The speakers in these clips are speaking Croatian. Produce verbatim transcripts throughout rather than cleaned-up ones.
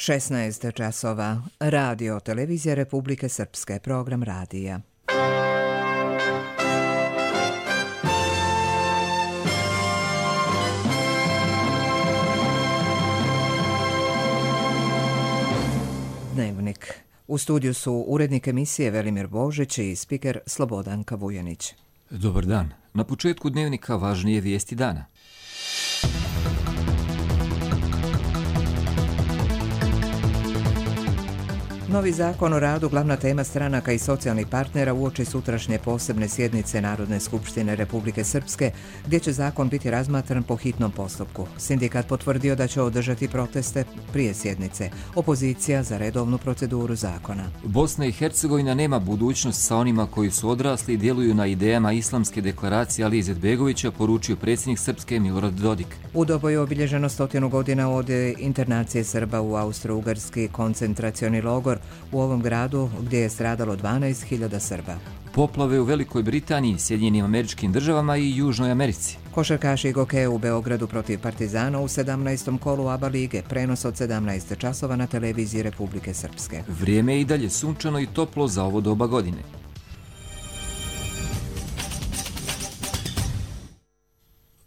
šesnaest časova. Radio Televizija Republike Srpske, program radija. Dnevnik. U studiju su urednik emisije Velimir Božić i spiker Slobodanka Vujanić. Dobar dan. Na početku dnevnika važnije vijesti dana. Novi zakon o radu glavna tema stranaka i socijalnih partnera uoči sutrašnje posebne sjednice Narodne skupštine Republike Srpske, gdje će zakon biti razmatran po hitnom postupku. Sindikat potvrdio da će održati proteste prije sjednice. Opozicija za redovnu proceduru zakona. Bosna i Hercegovina nema budućnost sa onima koji su odrasli i djeluju na idejama islamske deklaracije Alije Izetbegovića, poručio predsjednik Srpske Milorad Dodik. U Doboju je obilježeno stotinu godina od internacije Srba u Austro-Ugarski koncentracioni logor u ovom gradu gdje je stradalo dvanaest hiljada Srba. Poplave u Velikoj Britaniji, Sjedinjenim Američkim Državama i Južnoj Americi. Košarkaši Goke u Beogradu protiv Partizana u sedamnaestom kolu ABA lige, prenos od sedamnaest časova na televiziji Republike Srpske. Vrijeme je i dalje sunčano i toplo za ovo doba godine.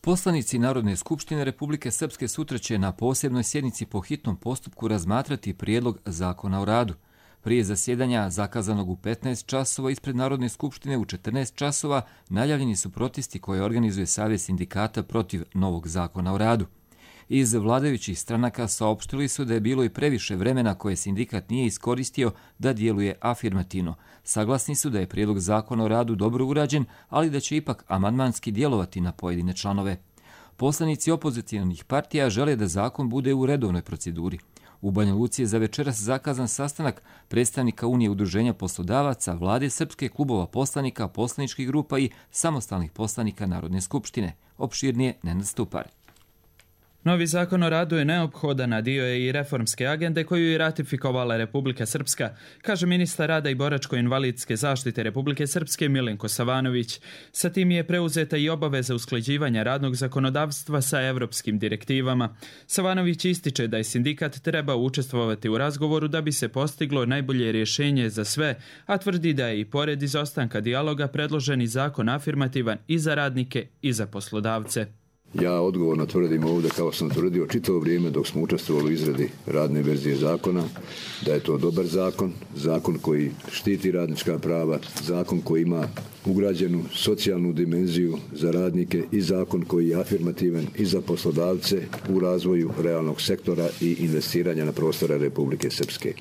Poslanici Narodne skupštine Republike Srpske sutra će na posebnoj sjednici po hitnom postupku razmatrati prijedlog zakona o radu. Prije zasjedanja zakazanog u petnaest časova ispred Narodne skupštine u četrnaest časova najavljeni su protesti koje organizuje Savez sindikata protiv novog zakona o radu. Iz vladajućih stranaka saopštili su da je bilo i previše vremena koje sindikat nije iskoristio da djeluje afirmativno. Saglasni su da je prijedlog zakona o radu dobro urađen, ali da će ipak amandmanski djelovati na pojedine članove. Poslanici opozicionih partija žele da zakon bude u redovnoj proceduri. U Banja Luci je za večeras zakazan sastanak predstavnika Unije udruženja poslodavaca, vlade Srpske, klubova poslanika, poslaničkih grupa i samostalnih poslanika Narodne skupštine. Opširnije Nenad Stupar. Novi zakon o radu je neophodan, a dio je i reformske agende koju je ratifikovala Republika Srpska, kaže ministar rada i boračko-invalidske zaštite Republike Srpske Milenko Savanović. Sa tim je preuzeta i obaveza usklađivanja radnog zakonodavstva sa evropskim direktivama. Savanović ističe da je sindikat trebao učestvovati u razgovoru da bi se postiglo najbolje rješenje za sve, a tvrdi da je i pored izostanka dijaloga predloženi zakon afirmativan i za radnike i za poslodavce. Ja odgovorno tvrdim ovdje, kao sam tvrdio čitavo vrijeme dok smo učestvovali u izradi radne verzije zakona, da je to dobar zakon, zakon koji štiti radnička prava, zakon koji ima ugrađenu socijalnu dimenziju za radnike i zakon koji je afirmativan i za poslodavce u razvoju realnog sektora i investiranja na prostore Republike Srpske.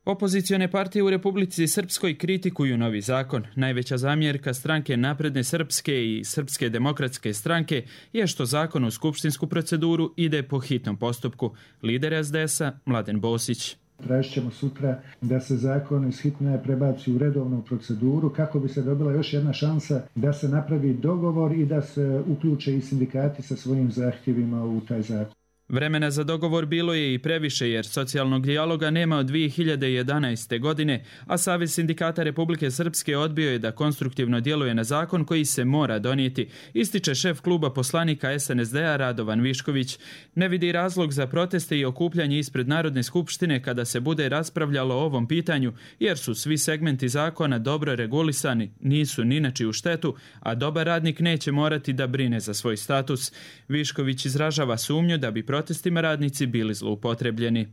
Opozicione partije u Republici Srpskoj kritikuju novi zakon. Najveća zamjerka stranke Napredne Srpske i Srpske demokratske stranke je što zakon u skupštinsku proceduru ide po hitnom postupku. Lider es de esa Mladen Bosić. Tražit ćemo sutra da se zakon iz hitne prebaci u redovnu proceduru kako bi se dobila još jedna šansa da se napravi dogovor i da se uključe i sindikati sa svojim zahtjevima u taj zakon. Vremena za dogovor bilo je i previše jer socijalnog dijaloga nema od dvije hiljade jedanaeste. godine, a Savez sindikata Republike Srpske odbio je da konstruktivno djeluje na zakon koji se mora donijeti, ističe šef kluba poslanika es en es de a Radovan Višković. Ne vidi razlog za proteste i okupljanje ispred Narodne skupštine kada se bude raspravljalo o ovom pitanju, jer su svi segmenti zakona dobro regulisani, nisu ni na čiju štetu, a dobar radnik neće morati da brine za svoj status. Višković izražava sumnju da bi protestima radnici bili zloupotrebljeni.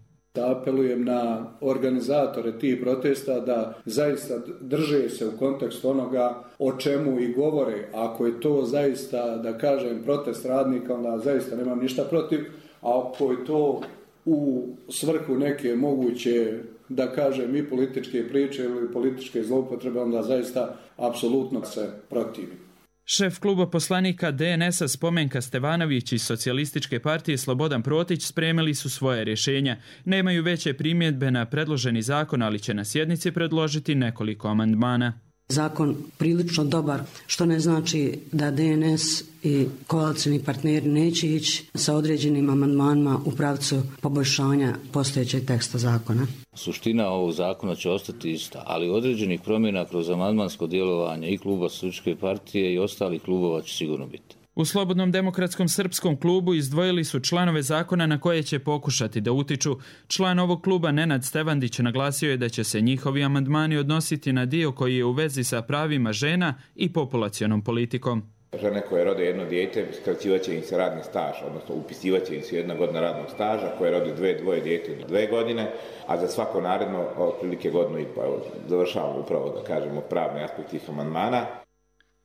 Apelujem na organizatore tih protesta da zaista drže se u kontekstu onoga o čemu i govore. Ako je to zaista, da kažem, protest radnika, onda zaista nemam ništa protiv, a ako je to u svrhu neke moguće, da kažem, i političke priče ili političke zloupotrebe, onda zaista apsolutno se protivim. Šef kluba poslanika de en es a Spomenka Stevanović iz Socijalističke partije Slobodan Protić spremili su svoje rješenja. Nemaju veće primjedbe na predloženi zakon, ali će na sjednici predložiti nekoliko amandmana. Zakon prilično dobar, što ne znači da de en es i koalicijni partneri neće ići sa određenim amandmanima u pravcu poboljšanja postojećeg teksta zakona. Suština ovog zakona će ostati ista, ali određenih promjena kroz amandmansko djelovanje i kluba Socijalističke partije i ostalih klubova će sigurno biti. U Slobodnom demokratskom srpskom klubu izdvojili su članove zakona na koje će pokušati da utiču. Član ovog kluba Nenad Stevandić naglasio je da će se njihovi amandmani odnositi na dio koji je u vezi sa pravima žena i populacionom politikom. Žene koje rode jedno dijete, skraćivat će im se radni staž, odnosno upisivat će im se jedna godina radnog staža, koje rode dve, dvoje dijete do dve godine, a za svako naredno otprilike godinu i pa završavamo upravo, da kažemo, pravni aspekt tih amandmana.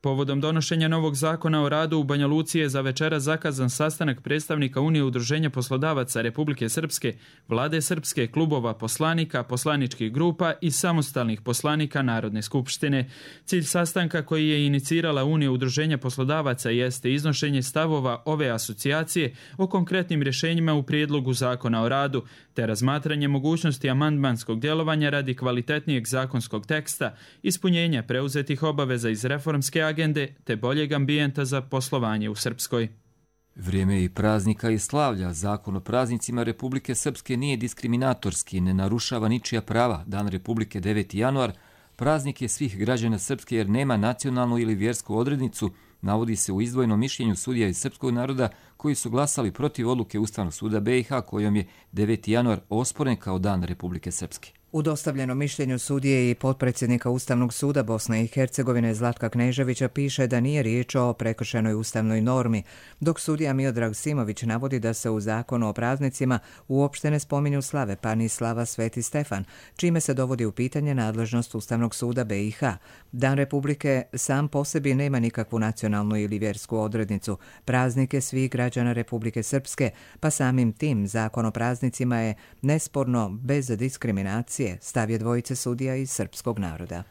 Povodom donošenja novog zakona o radu u Banja Luci je za večera zakazan sastanak predstavnika Unije udruženja poslodavaca Republike Srpske, Vlade Srpske, klubova poslanika, poslaničkih grupa i samostalnih poslanika Narodne skupštine. Cilj sastanka koji je inicirala Unija udruženja poslodavaca jeste iznošenje stavova ove asocijacije o konkretnim rješenjima u prijedlogu zakona o radu, te razmatranje mogućnosti amandmanskog djelovanja radi kvalitetnijeg zakonskog teksta, ispunjenja preuzetih obaveza iz reformske agende te boljeg ambijenta za poslovanje u Srpskoj. Vrijeme i praznika i slavlja. Zakon o praznicima Republike Srpske nije diskriminatorski, ne narušava ničija prava. Dan Republike deveti januar, praznik je svih građana Srpske jer nema nacionalnu ili vjersku odrednicu, navodi se u izdvojenom mišljenju sudija iz srpskog naroda koji su glasali protiv odluke Ustavnog suda B i H kojom je deveti januar osporen kao Dan Republike Srpske. U dostavljenom mišljenju sudije i potpredsjednika Ustavnog suda Bosne i Hercegovine Zlatka Kneževića piše da nije riječ o prekršenoj ustavnoj normi, dok sudija Miodrag Simović navodi da se u zakonu o praznicima uopšte ne spominju slave, pa ni slava Sveti Stefan, čime se dovodi u pitanje nadležnost Ustavnog suda B i H. Dan Republike sam po sebi nema nikakvu nacionalnu ili vjersku odrednicu. Praznik je svih građana Republike Srpske, pa samim tim zakon o praznicima je nesporno bez diskriminacije, stav je dvojice sudija iz srpskog naroda.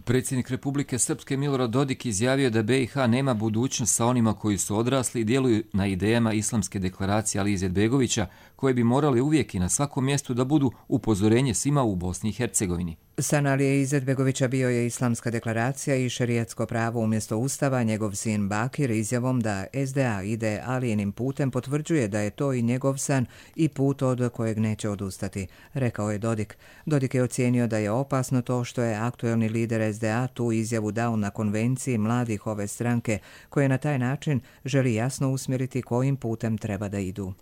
Predsjednik Republike Srpske Milorad Dodik izjavio da B i H nema budućnost sa onima koji su odrasli i djeluju na idejama islamske deklaracije Alije Izetbegovića, koje bi morali uvijek i na svakom mjestu da budu upozorenje svima u Bosni i Hercegovini. San Alije Izetbegovića bio je islamska deklaracija i šerijatsko pravo umjesto ustava. Njegov sin Bakir izjavom da S D A ide Alijinim putem potvrđuje da je to i njegov san i put od kojeg neće odustati, rekao je Dodik. Dodik je ocijenio da je opasno to što je aktuelni lider S D A tu izjavu dao na konvenciji mladih ove stranke, koje na taj način želi jasno usmjeriti kojim putem treba da idu.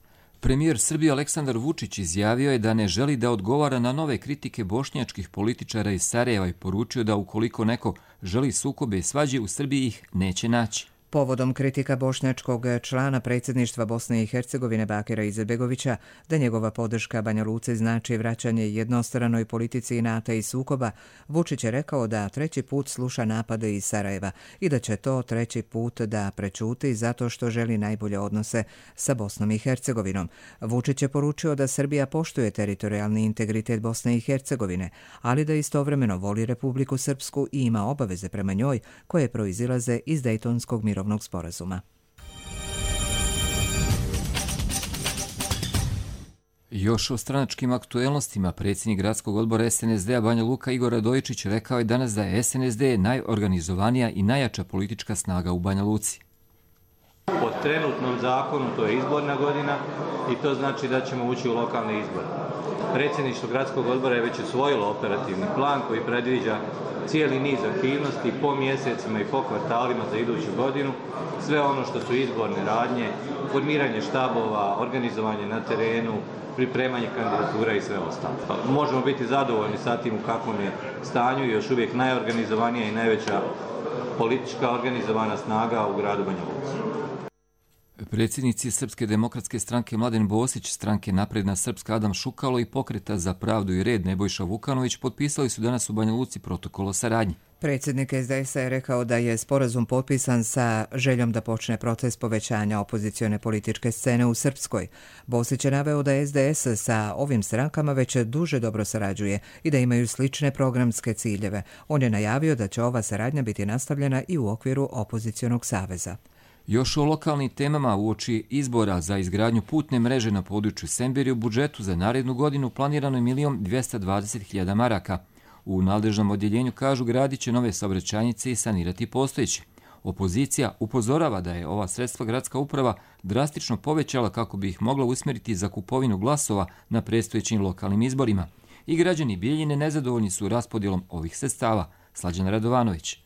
Premijer Srbije Aleksandar Vučić izjavio je da ne želi da odgovara na nove kritike bošnjačkih političara iz Sarajeva i poručio da ukoliko neko želi sukobe i svađe u Srbiji ih neće naći. Povodom kritika bošnjačkog člana predsjedništva Bosne i Hercegovine Bakira Izetbegovića da njegova podrška Banja Luci znači vraćanje jednostranoj politici inata i sukoba, Vučić je rekao da treći put sluša napade iz Sarajeva i da će to treći put da prečuti zato što želi najbolje odnose sa Bosnom i Hercegovinom. Vučić je poručio da Srbija poštuje teritorijalni integritet Bosne i Hercegovine, ali da istovremeno voli Republiku Srpsku i ima obaveze prema njoj koje proizilaze iz Dejtonskog mirovnog sporazuma. Još o stranačkim aktuelnostima predsjednik gradskog odbora S N S D-a Banja Luka Igor Radojičić rekao je danas da je S N S D najorganizovanija i najjača politička snaga u Banja Luci. Po trenutnom zakonu to je izborna godina i to znači da ćemo ući u lokalne izbore. Predsjedništvo gradskog odbora je već usvojilo operativni plan koji predviđa cijeli niz aktivnosti po mjesecima i po kvartalima za iduću godinu, sve ono što su izborne radnje, formiranje štabova, organizovanje na terenu, pripremanje kandidatura i sve ostalo. Možemo biti zadovoljni sa tim u kakvom je stanju i još uvijek najorganizovanija i najveća politička organizovana snaga u gradu Banja Luci. Predsjednici Srpske demokratske stranke Mladen Bosić, stranke Napredna Srpska Adam Šukalo i Pokreta za pravdu i red Nebojša Vukanović potpisali su danas u Banja Luci protokol o saradnji. Predsjednik S D S-a je rekao da je sporazum potpisan sa željom da počne proces povećanja opozicione političke scene u Srpskoj. Bosić je naveo da S D S sa ovim strankama već duže dobro sarađuje i da imaju slične programske ciljeve. On je najavio da će ova saradnja biti nastavljena i u okviru opozicionog saveza. Još o lokalnim temama uoči izbora za izgradnju putne mreže na području Semberije u budžetu za narednu godinu planirano je milion dvjesto dvadeset hiljada maraka. U nadležnom odjeljenju kažu gradit će nove saobraćajnice i sanirati postojeće. Opozicija upozorava da je ova sredstva gradska uprava drastično povećala kako bi ih mogla usmjeriti za kupovinu glasova na predstojećim lokalnim izborima. I građani Bijeljine nezadovoljni su raspodjelom ovih sredstava. Slađan Radovanović.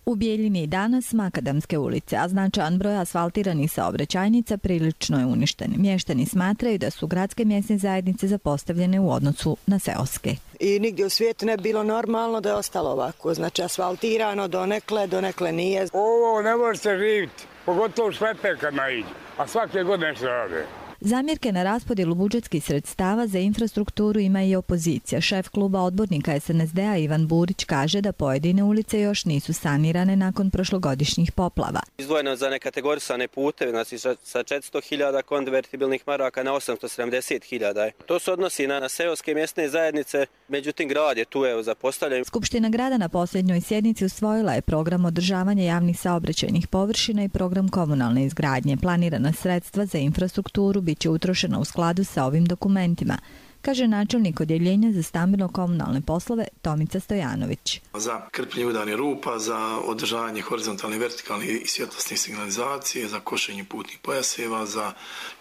U Bijeljini i danas makadamske ulice, a značajan broj asfaltiranih saobraćajnica prilično je uništen. Mještani smatraju da su gradske mjesne zajednice zapostavljene u odnosu na seoske. I nigdje u svijetu ne bi bilo normalno da je ostalo ovako. Znači asfaltirano donekle, donekle nije. Ovo ne može se živjeti, pogotovo šleper kad naiđe, a svake godine se rade. Zamjerke na raspodjelu budžetskih sredstava za infrastrukturu ima i opozicija. Šef kluba odbornika es en es de a Ivan Burić kaže da pojedine ulice još nisu sanirane nakon prošlogodišnjih poplava. Izdvojeno za nekategorisane puteve, znači sa četiristo hiljada konvertibilnih maraka na osamsto sedamdeset hiljada. To se odnosi na, na seoske mjesne zajednice, međutim grad je tu evo zapostavljen. Skupština grada na posljednjoj sjednici usvojila je program održavanja javnih saobraćajnih površina i program komunalne izgradnje. Planirana sredstva za infrastrukturu bit će utrošena u skladu sa ovim dokumentima, kaže načelnik odjeljenja za stambeno-komunalne poslove Tomica Stojanović. Za krpljenje udarnih rupa, za održavanje horizontalne, vertikalne i svjetlosne signalizacije, za košenje putnih pojaseva, za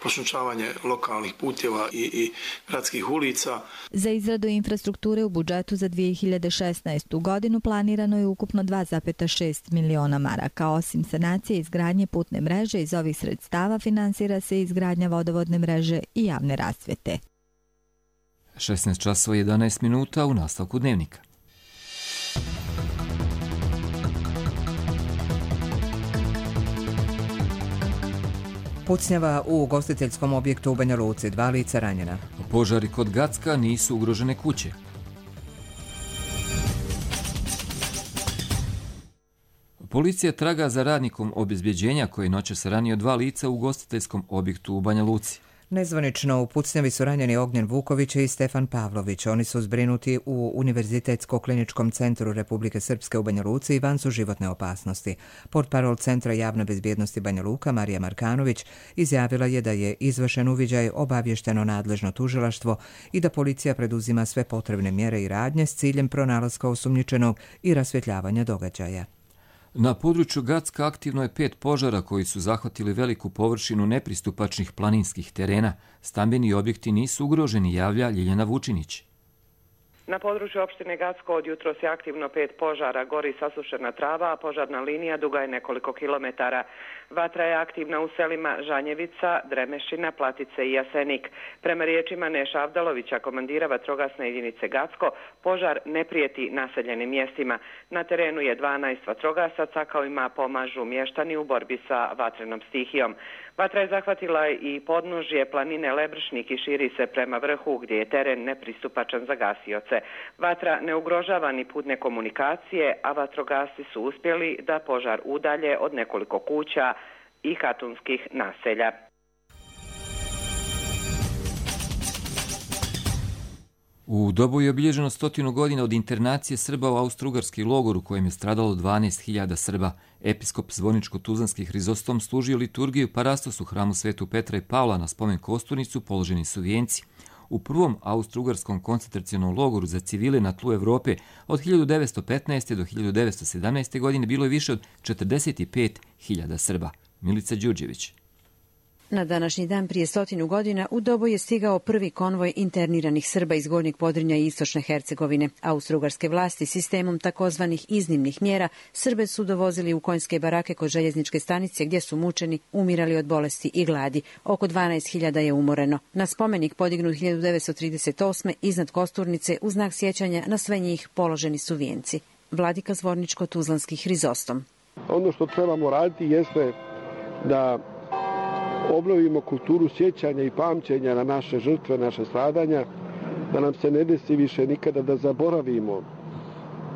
pošumčavanje lokalnih puteva i, i gradskih ulica. Za izradu infrastrukture u budžetu za dvije hiljade šesnaestu. godinu planirano je ukupno dva zarez šest miliona maraka. Osim sanacije i izgradnje putne mreže, iz ovih sredstava finansira se izgradnja vodovodne mreže i javne rasvjete. šesnaest časova i jedanaest minuta u nastavku dnevnika. Pucnjava u ugostiteljskom objektu u Banja Luci, dva lica ranjena. Požari kod Gacka, nisu ugrožene kuće. Policija traga za radnikom obezbjeđenja koji noćas ranio dva lica u ugostiteljskom objektu u Banja Luci. Nezvanično u pucnjavi su ranjeni Ognjen Vuković i Stefan Pavlović. Oni su zbrinuti u Univerzitetsko-kliničkom centru Republike Srpske u Banja Luci i van su životne opasnosti. Portparol Centra javne bezbjednosti Banja Luka Marija Markanović izjavila je da je izvršen uviđaj, obavješteno nadležno tužilaštvo i da policija preduzima sve potrebne mjere i radnje s ciljem pronalaska osumnjičenog i rasvjetljavanja događaja. Na području Gacka aktivno je pet požara koji su zahvatili veliku površinu nepristupačnih planinskih terena. Stambeni objekti nisu ugroženi, javlja Ljiljana Vučinić. Na području opštine Gacko od jutros je aktivno pet požara, gori sasušena trava, a požarna linija duga je nekoliko kilometara. Vatra je aktivna u selima Žanjevica, Dremešina, Platice i Jasenik. Prema riječima Neša Avdalovića, komandira vatrogasne jedinice Gacko, požar ne prijeti naseljenim mjestima. Na terenu je dvanaest vatrogasaca, kao ima pomažu mještani u borbi sa vatrenom stihijom. Vatra je zahvatila i podnožje planine Lebršnik i širi se prema vrhu gdje je teren nepristupačan za gasioce. Vatra ne ugrožava ni putne komunikacije, a vatrogasci su uspjeli da požar udalje od nekoliko kuća i hatunskih naselja. U Doboju je obilježeno stotinu godina od internacije Srba u austrougarski logor u kojem je stradalo dvanaest hiljada Srba. Episkop Zvoničko-Tuzlanski Hrizostom služio liturgiju parastos u hramu Svetu Petra i Pavla. Na spomen kosturnicu položeni su vijenci. U prvom austrougarskom koncentracionom logoru za civile na tlu Evrope od hiljadu devetsto petnaeste. do hiljadu devetsto sedamnaeste. godine bilo je više od četrdeset pet hiljada Srba. Milica Đurđević. Na današnji dan prije stotinu godina u Doboj je stigao prvi konvoj interniranih Srba iz Gornjeg Podrinja i Istočne Hercegovine. Austrougarske vlasti sistemom takozvanih iznimnih mjera Srbe su dovozili u konjske barake kod željezničke stanice gdje su mučeni, umirali od bolesti i gladi. Oko dvanaest hiljada je umoreno. Na spomenik podignut hiljadu devetsto trideset osme. iznad kosturnice u znak sjećanja na sve njih položeni su vijenci. Vladika Zvorničko-Tuzlanski Hrizostom. Ono što trebamo raditi jeste da obnovimo kulturu sjećanja i pamćenja na naše žrtve, naše stradanja, da nam se ne desi više nikada da zaboravimo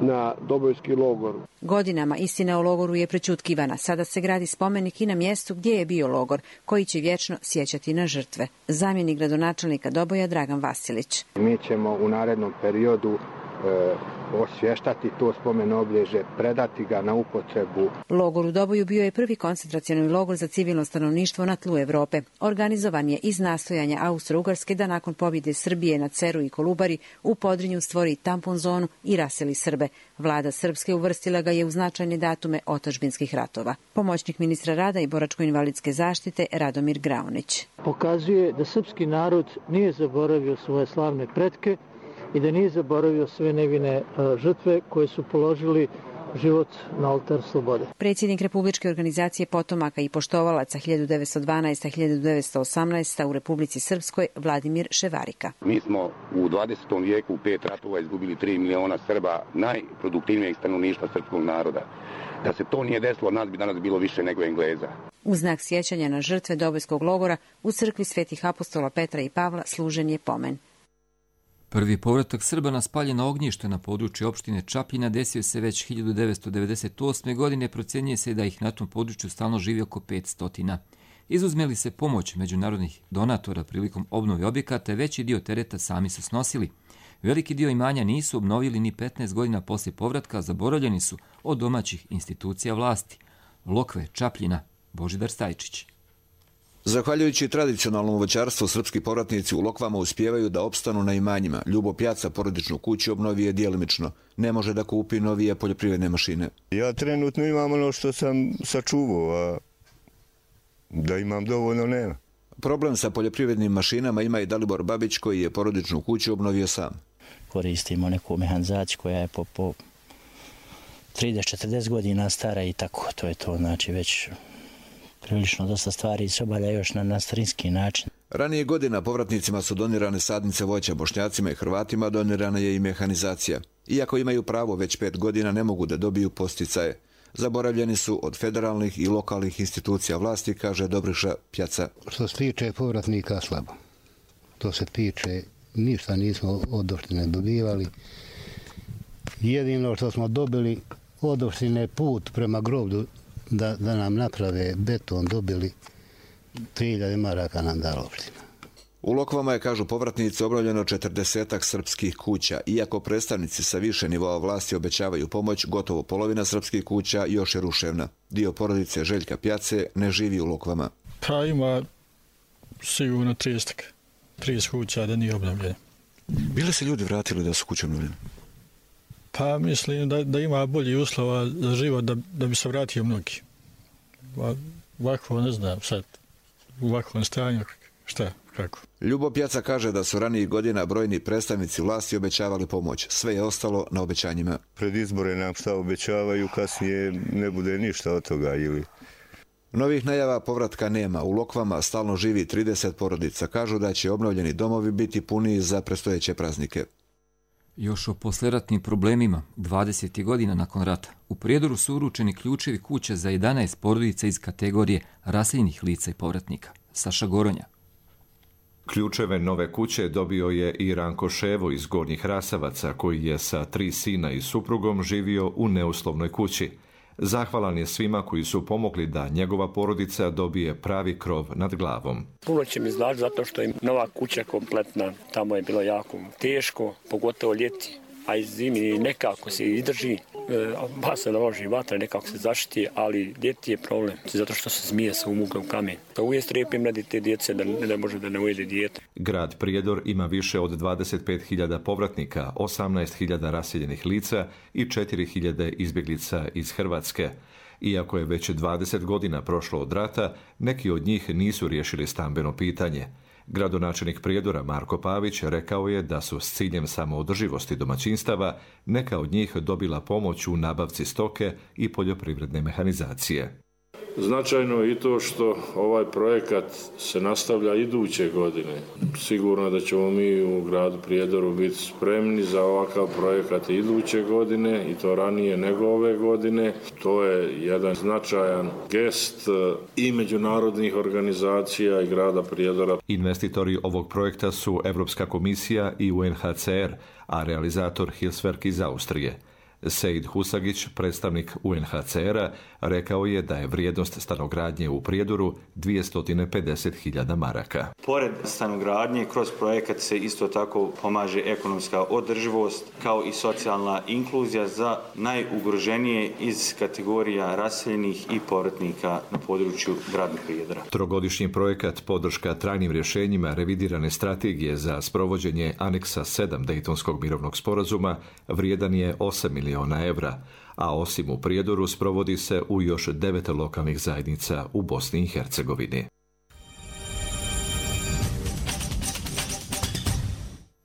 na Dobojski logor. Godinama istina o logoru je prečutkivana. Sada se gradi spomenik i na mjestu gdje je bio logor, koji će vječno sjećati na žrtve. Zamjenik gradonačelnika Doboja Dragan Vasilić. Mi ćemo u narednom periodu e, osvještati to spomen obilježje, predati ga na upotrebu. Logor u Doboju bio je prvi koncentracioni logor za civilno stanovništvo na tlu Evrope. Organizovan je iz nastojanja Austro-Ugarske da nakon pobjede Srbije na Ceru i Kolubari u Podrinju stvori tampon zonu i raseli Srbe. Vlada Srpske uvrstila ga je u značajne datume otadžbinskih ratova. Pomoćnik ministra rada i boračko-invalidske zaštite Radomir Graunić. Pokazuje da srpski narod nije zaboravio svoje slavne pretke i da nije zaboravio sve nevine žrtve koje su položili život na oltar slobode. Predsjednik Republičke organizacije potomaka i poštovalaca hiljadu devetsto dvanaesta do hiljadu devetsto osamnaesta. u Republici Srpskoj Vladimir Ševarika. Mi smo u dvadesetom vijeku u pet ratova izgubili tri miliona Srba, najproduktivnijeg stanovništva srpskog naroda. Da se to nije desilo, nas bi danas bilo više nego Engleza. U znak sjećanja na žrtve Dobojskog logora u crkvi svetih apostola Petra i Pavla služen je pomen. Prvi povratak Srba na spaljeno ognjište na području opštine Čapljina desio se već hiljadu devetsto devedeset osme. godine, procjenjuje se da ih na tom području stalno živi oko petsto. Izuzme li se pomoć međunarodnih donatora prilikom obnove objekata, veći dio tereta sami su snosili. Veliki dio imanja nisu obnovili ni petnaest godina poslije povratka, zaboravljeni su od domaćih institucija vlasti. Lokve, Čapljina, Božidar Stajčić. Zahvaljujući tradicionalnom voćarstvu, srpski povratnici u Lokvama uspijevaju da opstanu na imanjima. Ljubo Pjaca porodičnu kuću obnovi je djelimično. Ne može da kupi novije poljoprivredne mašine. Ja trenutno imam ono što sam sačuvao, a da imam dovoljno nema. Problem sa poljoprivrednim mašinama ima i Dalibor Babić, koji je porodičnu kuću obnovio sam. Koristimo neku mehanizaciju koja je po, po trideset do četrdeset godina stara i tako. To je to, znači već prilično dosta stvari se obavlja još na, na starinski način. Ranije godina povratnicima su donirane sadnice voća, Bošnjacima i Hrvatima donirana je i mehanizacija. Iako imaju pravo, već pet godina ne mogu da dobiju posticaje. Zaboravljeni su od federalnih i lokalnih institucija vlasti, kaže Dobriša Pjaca. Što se tiče povratnika, slabo. To se tiče, ništa nismo od opštine dobivali. Jedino što smo dobili od opštine put prema groblju da, da nam naprave beton, dobili tri hiljade maraka nam dala opština. U Lokvama je, kažu povratnici, obnovljeno četrdesetak srpskih kuća. Iako predstavnici sa više nivoa vlasti obećavaju pomoć, gotovo polovina srpskih kuća još je ruševna. Dio porodice Željka Pjace ne živi u Lokvama. Pa ima sigurno trideset kuća da nije obnovljeno. Bili se ljudi vratili da su kuće obnovljene? Pa mislim da, da ima bolji uslova za život da, da bi se vratio mnogi. Ovako ne znam sad, u ovakvom stanju šta, kako. Ljubo Pjaca kaže da su ranijih godina brojni predstavnici vlasti obećavali pomoć. Sve je ostalo na obećanjima. Pred izbore nam šta obećavaju, kasnije ne bude ništa od toga ili... Novih najava povratka nema. U Lokvama stalno živi trideset porodica. Kažu da će obnovljeni domovi biti puniji za predstojeće praznike. Još o posleratnim problemima, dvadeset godina nakon rata, u Prijedoru su uručeni ključevi kuće za jedanaest porodica iz kategorije raseljenih lica i povratnika. Saša Goronja. Ključeve nove kuće dobio je i Ranko Ševo iz Gornjih Rasavaca, koji je sa tri sina i suprugom živio u neuslovnoj kući. Zahvalan je svima koji su pomogli da njegova porodica dobije pravi krov nad glavom. Puno će mi znači zato što je nova kuća kompletna. Tamo je bilo jako teško, pogotovo ljeti, a i zimi nekako se izdrži. Ba se naloži vatra, nekako se zaštiti, ali ljeti je problem, zato što se zmije sa umuglom kamen. Pa uvijek strepim radi te djece da ne može da ne ujede dijete. Grad Prijedor ima više od dvadeset pet hiljada povratnika, osamnaest hiljada raseljenih lica i četiri hiljade izbjeglica iz Hrvatske. Iako je već dvadeset godina prošlo od rata, neki od njih nisu riješili stambeno pitanje. Gradonačelnik Prijedora Marko Pavić rekao je da su s ciljem samoodrživosti domaćinstava neka od njih dobila pomoć u nabavci stoke i poljoprivredne mehanizacije. Značajno je i to što ovaj projekat se nastavlja iduće godine. Sigurno da ćemo mi u gradu Prijedoru biti spremni za ovakav projekat iduće godine i to ranije nego ove godine. To je jedan značajan gest i međunarodnih organizacija i grada Prijedora. Investitori ovog projekta su Evropska komisija i U N H C R, a realizator Hilswerk iz Austrije. Sejd Husagić, predstavnik U N H C R-a, rekao je da je vrijednost stanogradnje u Prijedoru dvjesto pedeset hiljada maraka. Pored stanogradnje, kroz projekat se isto tako pomaže ekonomska održivost kao i socijalna inkluzija za najugroženije iz kategorija raseljenih i povratnika na području grada Prijedora. Trogodišnji projekat podrška trajnim rješenjima revidirane strategije za sprovođenje aneksa sedam Dejtonskog mirovnog sporazuma vrijedan je osam miliona evra, a osim u Prijedoru sprovodi se u još devet lokalnih zajednica u Bosni i Hercegovini.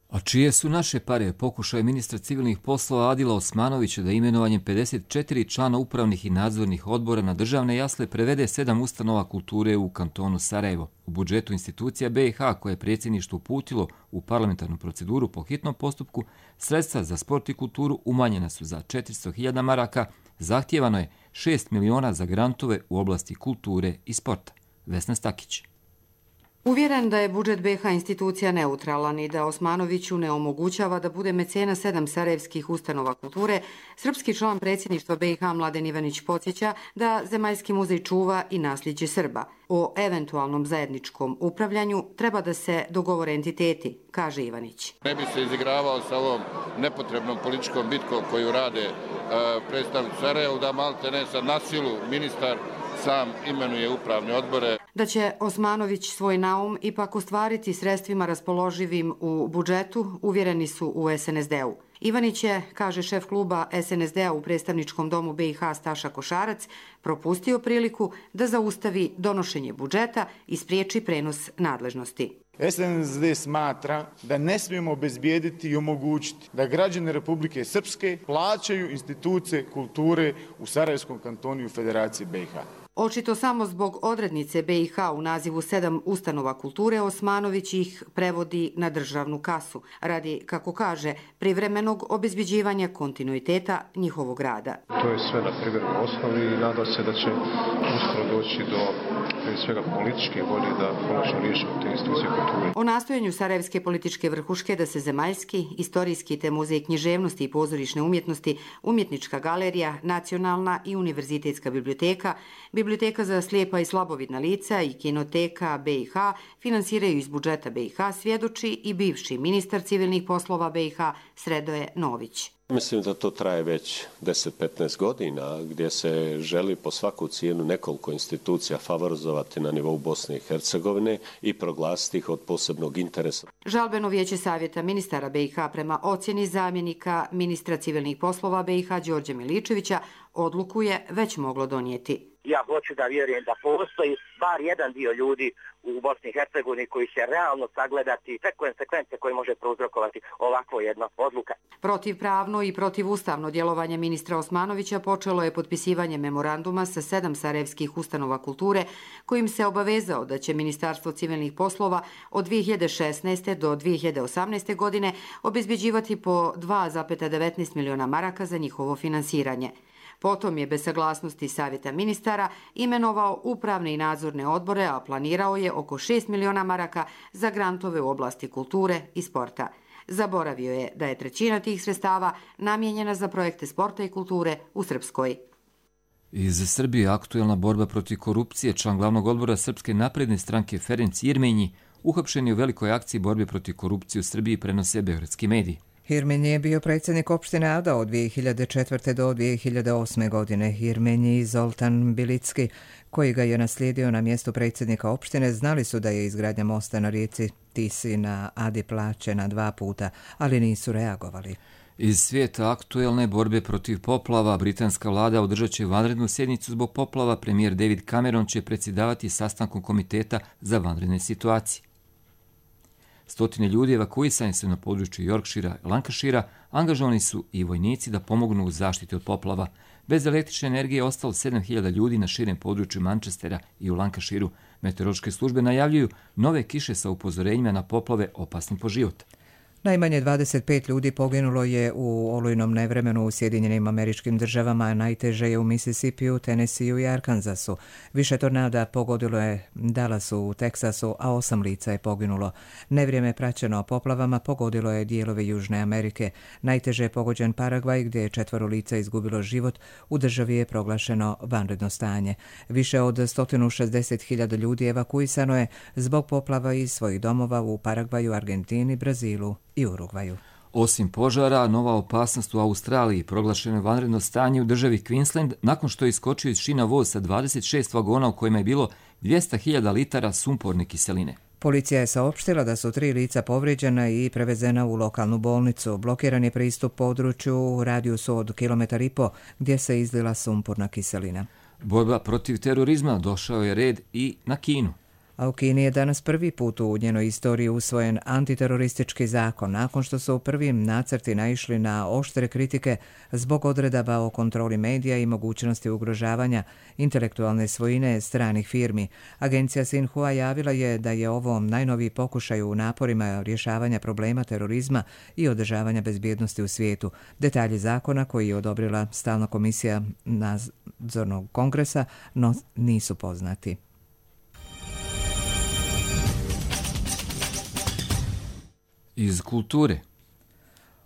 A čije su naše pare, pokušaj ministra civilnih poslova Adila Osmanovića da imenovanjem pedeset četiri člana upravnih i nadzornih odbora na državne jasle prevede sedam ustanova kulture u kantonu Sarajevo. U budžetu institucija B i H koje je predsjedništvo uputilo u parlamentarnu proceduru po hitnom postupku, sredstva za sport i kulturu umanjena su za četiristo hiljada maraka, zahtijevano je šest miliona za grantove u oblasti kulture i sporta. Vesna Stakić. Uvjeren da je budžet B i H institucija neutralan i da Osmanoviću ne omogućava da bude mecena sedam sarajevskih ustanova kulture, srpski član predsjedništva B i H Mladen Ivanić podsjeća da Zemaljski muzej čuva i nasljeđe Srba. O eventualnom zajedničkom upravljanju treba da se dogovore entiteti, kaže Ivanić. Ne bi se izigravao sa ovom nepotrebnom političkom bitkom koju rade predstavnici Sarajevo, da malte ne sad na silu ministar sam imenuje upravne odbore. Da će Osmanović svoj naum ipak ostvariti sredstvima raspoloživim u budžetu, uvjereni su u S N S D-u. Ivanić je, kaže šef kluba S N S D-a u predstavničkom domu B i H Staša Košarac, propustio priliku da zaustavi donošenje budžeta i spriječi prenos nadležnosti. S N S D smatra da ne smijemo obezbijediti i omogućiti da građani Republike Srpske plaćaju institucije kulture u Sarajevskom kantonu i u Federaciji B i H. Očito samo zbog odrednice B i H u nazivu sedam ustanova kulture Osmanović ih prevodi na državnu kasu, radi, kako kaže, privremenog obezbeđivanja kontinuiteta njihovog rada. To je sve na privremenoj osnovi i nada se da će uskoro doći do svega političke volje da konačno riješimo te institucije kulture. O nastojanju sarajevske političke vrhuške da se Zemaljski, istorijski te muzej književnosti i pozorišne umjetnosti, umjetnička galerija, nacionalna i univerzitetska biblioteka, Biblioteka za slijepa i slabovidna lica i kinoteka B i H finansiraju iz budžeta B i H, svjedoči i bivši ministar civilnih poslova B i H Sredoje Nović. Mislim da to traje već deset do petnaest godina, gdje se želi po svaku cijenu nekoliko institucija favorizovati na nivou Bosne i Hercegovine i proglasiti ih od posebnog interesa. Žalbeno vijeće savjeta ministara B i H prema ocjeni zamjenika ministra civilnih poslova B i H Đorđe Miličevića odluku je već moglo donijeti. Ja hoću da vjerujem da postoji bar jedan dio ljudi u Bosni i Hercegovini koji će realno sagledati sve konsekvence koje može prouzrokovati ovakvo jedna odluka. Protivpravno i protivustavno djelovanje ministra Osmanovića počelo je potpisivanje memoranduma sa sedam sarajevskih ustanova kulture kojim se obavezao da će Ministarstvo civilnih poslova od dvije hiljade šesnaeste. do dvije hiljade osamnaeste. godine obezbeđivati po dva zarez devetnaest miliona maraka za njihovo finansiranje. Potom je bez saglasnosti savjeta ministara imenovao upravne i nadzorne odbore, a planirao je oko šest miliona maraka za grantove u oblasti kulture i sporta. Zaboravio je da je trećina tih sredstava namijenjena za projekte sporta i kulture u Srpskoj. Iz Srbije aktuelna borba protiv korupcije, član glavnog odbora Srpske napredne stranke Ferenc Irmenji, uhapšen je u velikoj akciji borbe protiv korupcije u Srbiji, prenose beogradski mediji. Irmenji je bio predsjednik opštine Ada od dvije hiljade četvrte. do dvije hiljade osme. godine. Irmenji i Zoltan Bilicki, koji ga je naslijedio na mjestu predsjednika opštine, znali su da je izgradnja mosta na rijeci Tisi na Adi plaćena dva puta, ali nisu reagovali. Iz svijeta aktuelne borbe protiv poplava, britanska vlada održat će vanrednu sjednicu zbog poplava. Premijer David Cameron će predsjedavati sastankom komiteta za vanredne situacije. Stotine ljudi evakuisani su na području Yorkshira i Lancashira, angažovani su i vojnici da pomognu u zaštiti od poplava. Bez električne energije je ostalo sedam hiljada ljudi na širem području Manchestera i u Lancashiru. Meteorološke službe najavljuju nove kiše sa upozorenjima na poplave opasnim po život. Najmanje dvadeset pet ljudi poginulo je u olujnom nevremenu u Sjedinjenim Američkim Državama, a najteže je u Mississipiju, Tennesseeu i Arkansasu. Više tornada pogodilo je Dallasu u Teksasu, a osam lica je poginulo. Nevrijeme praćeno poplavama pogodilo je dijelove Južne Amerike. Najteže je pogođen Paragvaj, gdje je četvoro lica izgubilo život. U državi je proglašeno vanredno stanje. Više od sto šezdeset hiljada ljudi evakuisano je zbog poplava iz svojih domova u Paragvaju, Argentini, Brazilu i Urugvaju. Osim požara, nova opasnost u Australiji, proglašeno je vanredno stanje u državi Queensland nakon što je iskočio iz šina voz sa dvadeset šest vagona u kojima je bilo dvjesto hiljada litara sumporne kiseline. Policija je saopštila da su tri lica povrijeđena i prevezena u lokalnu bolnicu. Blokiran je pristup području u radijusu od kilometar i po gdje se izlila sumporna kiselina. Borba protiv terorizma došao je red i na Kinu. A u Kini je danas prvi put u njenoj istoriji usvojen antiteroristički zakon, nakon što su u prvim nacrti naišli na oštre kritike zbog odredaba o kontroli medija i mogućnosti ugrožavanja intelektualne svojine stranih firmi. Agencija Xinhua javila je da je ovo najnoviji pokušaj u naporima rješavanja problema terorizma i održavanja bezbjednosti u svijetu. Detalji zakona koji je odobrila Stalna komisija nadzornog kongresa no nisu poznati. Iz kulture.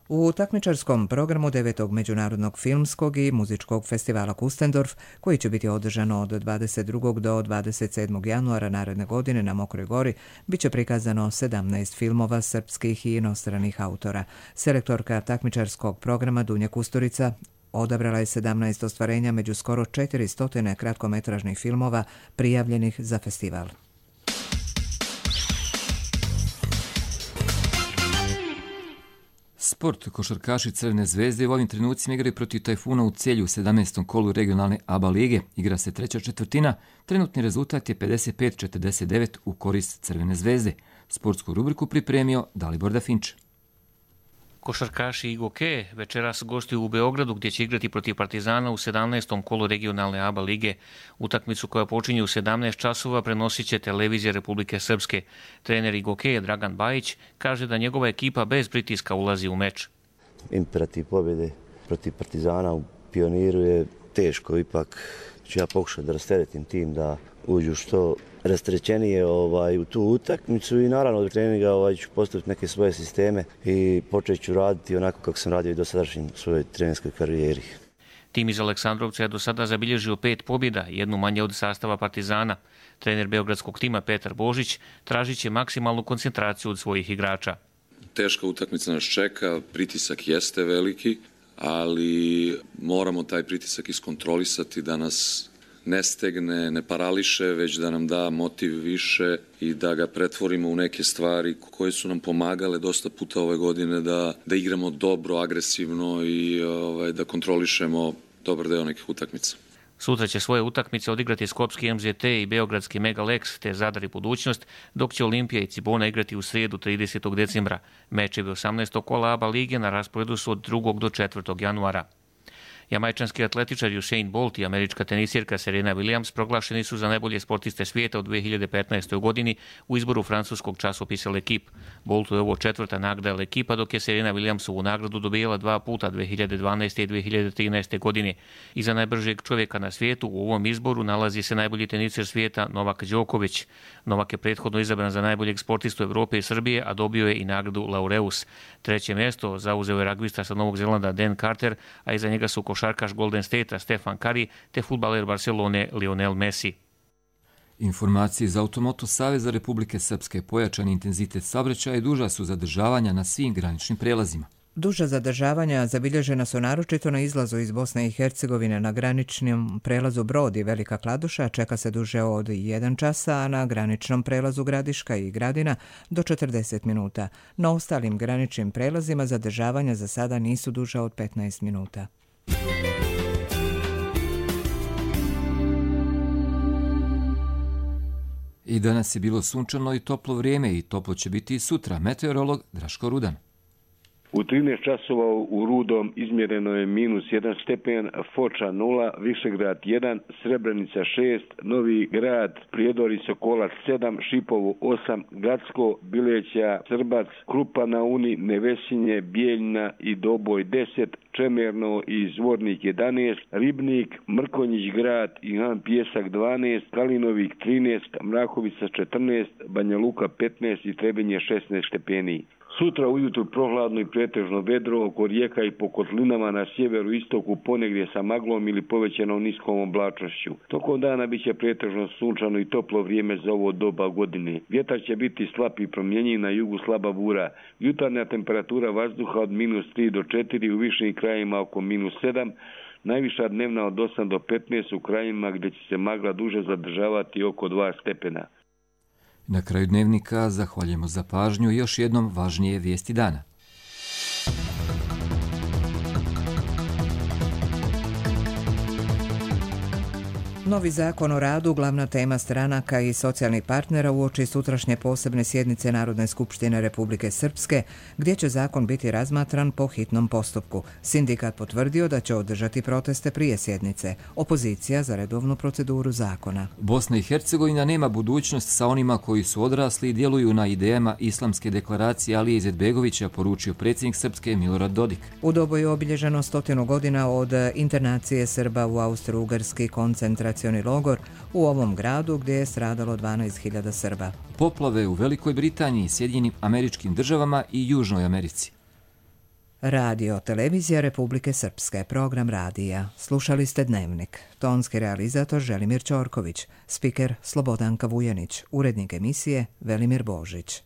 U takmičarskom programu devetog Međunarodnog filmskog i muzičkog festivala Kustendorf, koji će biti održano od dvadeset drugog do dvadeset sedmog januara naredne godine na Mokroj gori, bit će prikazano sedamnaest filmova srpskih i inostranih autora. Selektorka takmičarskog programa Dunja Kusturica odabrala je sedamnaest ostvarenja među skoro četiristo kratkometražnih filmova prijavljenih za festival. Sport. Košarkaši Crvene zvezde u ovim trenucima igraju protiv Tajfuna u Celju u sedamnaestom kolu regionalne A B A lige. Igra se treća četvrtina. Trenutni rezultat je pedeset pet četrdeset devet u korist Crvene zvezde. Sportsku rubriku pripremio Dalibor Dafinč. Košarkaši Igoke večeras gostuju u Beogradu gdje će igrati protiv Partizana u sedamnaestom kolu regionalne A B A lige. Utakmicu koja počinje u sedamnaest časova prenosit će televizija Republike Srpske. Trener Igoke Dragan Bajić kaže da njegova ekipa bez pritiska ulazi u meč. Imperativ pobjede protiv Partizana u Pioniru je teško, ipak ću ja pokušati da rasteretim tim da uđu što rasterećenije ovaj, u tu utakmicu i naravno od treninga ovaj, ću postaviti neke svoje sisteme i počet ću raditi onako kako sam radio i do sadašnjim svojoj trenerskoj karijeri. Tim iz Aleksandrovca je do sada zabilježio pet pobjeda, jednu manje od sastava Partizana. Trener beogradskog tima Petar Božić tražit će maksimalnu koncentraciju od svojih igrača. Teška utakmica nas čeka, pritisak jeste veliki, ali moramo taj pritisak iskontrolisati da nas ne stegne, ne parališe, već da nam da motiv više i da ga pretvorimo u neke stvari koje su nam pomagale dosta puta ove godine da, da igramo dobro, agresivno i ovaj, da kontrolišemo dobar deo nekih utakmica. Sutra će svoje utakmice odigrati Skopski M Z T i Beogradski Megalex te Zadar i Budućnost, dok će Olimpija i Cibona igrati u srijedu tridesetog decembra. Mečevi osamnaestog kola A B A lige na rasporedu su od drugog do četvrtog januara. Jamajčanski atletičar Usain Bolt i američka tenisirka Serena Williams proglašeni su za najbolje sportiste svijeta u dve hiljade petnaestoj godini u izboru francuskog časopisa L'Equipe. Boltu je ovo četvrta nagrada L'Equipa, dok je Serena Williams ovu nagradu dobijala dva puta dve hiljade dvanaeste i dve hiljade trinaeste godine. Iza najbržeg čovjeka na svijetu u ovom izboru nalazi se najbolji tenisir svijeta Novak Đoković. Novak je prethodno izabran za najboljeg sportistu Evrope i Srbije, a dobio je i nagradu Laureus. Treće mjesto zauzeo je ragbista sa Novog Zelanda Dan Carter, a iza njega su košarkaš Golden State-a Stefan Curry te fudbaler Barcelone Lionel Messi. Informacije iz Automoto Saveza Republike Srpske. Pojačani intenzitet saobraćaja i duža su zadržavanja na svim graničnim prelazima. Duža zadržavanja zabilježena su naročito na izlazu iz Bosne i Hercegovine na graničnom prelazu Brod i Velika Kladuša, čeka se duže od jedan časa, a na graničnom prelazu Gradiška i Gradina do četrdeset minuta. Na ostalim graničnim prelazima zadržavanja za sada nisu duža od petnaest minuta. I danas je bilo sunčano i toplo vrijeme i toplo će biti i sutra. Meteorolog Draško Rudan. U trinaest časova u Rudom izmjereno je minus jedan stepen, Foča nula, Višegrad jedan, Srebrenica šest, Novi Grad, Prijedor i Sokolac sedam, Šipovo osam, Gacko, Bileća, Srbac, Krupa na Uni, Nevesinje, Bijeljna i Doboj deset, Čemerno i Zvornik jedanaest, Ribnik, Mrkonjić grad i Han Pjesak dvanaest, Kalinovik trinaest, Mrakovica četrnaest, Banja Luka petnaest i Trebinje šesnaest stepeni. Sutra ujutru prohladno i pretežno vedro, oko rijeka i po kotlinama na sjeveru istoku ponegdje sa maglom ili povećanom niskom oblačnošću. Tokom dana bit će pretežno sunčano i toplo vrijeme za ovo doba godine. Vjetar će biti slab i promjenjiv, na jugu slaba bura. Jutarnja temperatura vazduha od minus tri do četiri, u višim krajima oko minus sedam, najviša dnevna od osam do petnaest, u krajima gdje će se magla duže zadržavati oko dva stepena. Na kraju dnevnika zahvaljujemo za pažnju i još jednom važnije vijesti dana. Novi zakon o radu, glavna tema stranaka i socijalnih partnera uoči sutrašnje posebne sjednice Narodne skupštine Republike Srpske, gdje će zakon biti razmatran po hitnom postupku. Sindikat potvrdio da će održati proteste prije sjednice. Opozicija za redovnu proceduru zakona. Bosna i Hercegovina nema budućnost sa onima koji su odrasli i djeluju na idejama islamske deklaracije Alije Izetbegovića, poručio predsjednik Srpske Milorad Dodik. U Dobu je obilježeno stotinu godina od internacije Srba u Austro-Ugarski koncentracioni logor u ovom gradu gdje je stradalo dvanaest hiljada Srba. Poplave u Velikoj Britaniji, Sjedinjenim Američkim Državama i Južnoj Americi. Radio Televizija Republike Srpske, program radija. Slušali ste Dnevnik. Tonski realizator Želimir Ćorković, spiker Slobodanka Vujanić, urednik emisije Velimir Božić.